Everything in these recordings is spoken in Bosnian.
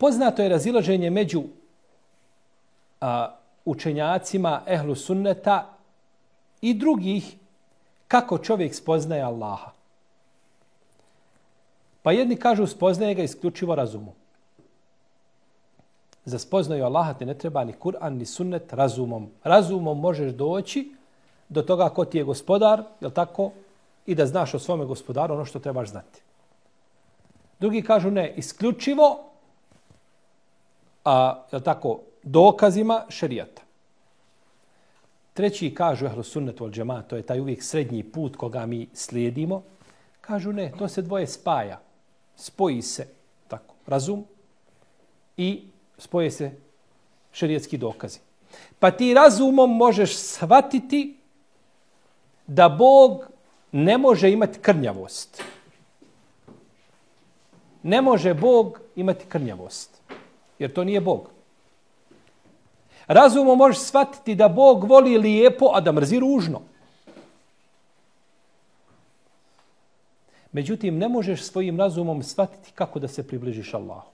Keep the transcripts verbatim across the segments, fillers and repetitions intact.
Poznato je razilaženje među a, učenjacima ehlu sunneta i drugih kako čovjek spoznaje Allaha. Pa jedni kažu spoznaje ga isključivo razumom. Za spoznaju Allaha ti ne treba ni Kur'an, ni sunnet razumom. Razumom možeš doći do toga ko ti je gospodar, jel tako? I da znaš o svome gospodaru ono što trebaš znati. Drugi kažu ne, isključivo a, jel tako, dokazima šerijata. Treći kažu ehlu sunnet wal džemaat, to je taj uvijek srednji put koga mi slijedimo. Kažu ne, to se dvoje spaja. Spoji se tako, razum i spoje se šerijatski dokazi. Pa ti razumom možeš shvatiti da Bog ne može imati krnjavost. Ne može Bog imati krnjavost. Jer to nije Bog. Razumom možeš shvatiti da Bog voli lijepo, a da mrzi ružno. Međutim, ne možeš svojim razumom shvatiti kako da se približiš Allahu.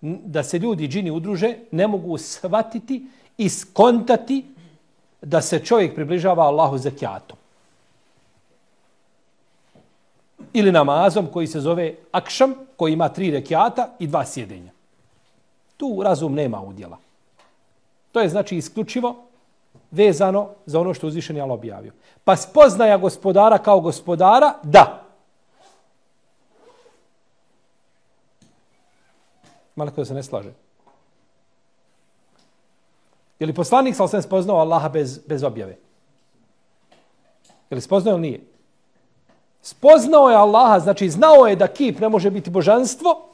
Da se ljudi, džini udruže, ne mogu shvatiti i skontati da se čovjek približava Allahu zekijatom. Ili namazom koji se zove akšam, koji ima tri rekiata i dva sjedenja. Tu razum nema udjela. To je znači isključivo vezano za ono što uzvišeni Allah objavio. Pa spoznaja gospodara kao gospodara, da. Malo da se ne slaže. Je li poslanik sal sam spoznao Allaha bez, bez objave? Je li spoznao ili nije? Spoznao je Allaha, znači znao je da kip ne može biti božanstvo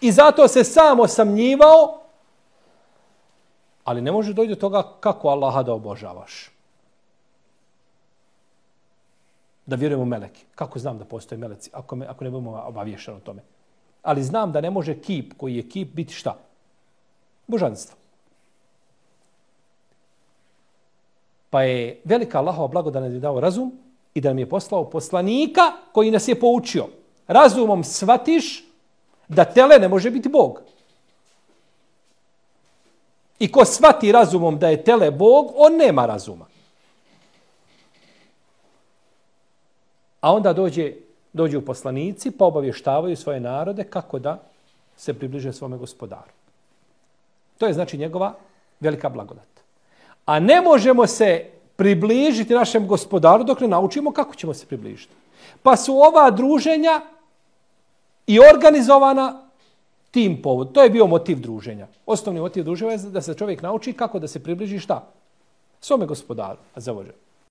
i zato se sam osamnjivao, ali ne može doći do toga kako Allaha da obožavaš. Da vjerujemo u meleke. Kako znam da postoje meleci ako, me, ako ne budemo obavješeni o tome? Ali znam da ne može kip koji je kip biti šta? Božanstvo. Pa je velika Allahova blagodat nam je dao razum i da nam je poslao poslanika koji nas je poučio. Razumom shvatiš da tele ne može biti Bog. I ko shvati razumom da je tele Bog, on nema razuma. A onda dođe, dođu poslanici pa obavještavaju svoje narode kako da se približe svome gospodaru. To je znači njegova velika blagodat. A ne možemo se približiti našem gospodaru dok ne naučimo kako ćemo se približiti. Pa su ova druženja i organizovana tim povod. To je bio motiv druženja. Osnovni motiv druženja je da se čovjek nauči kako da se približi šta? Svome gospodaru. A za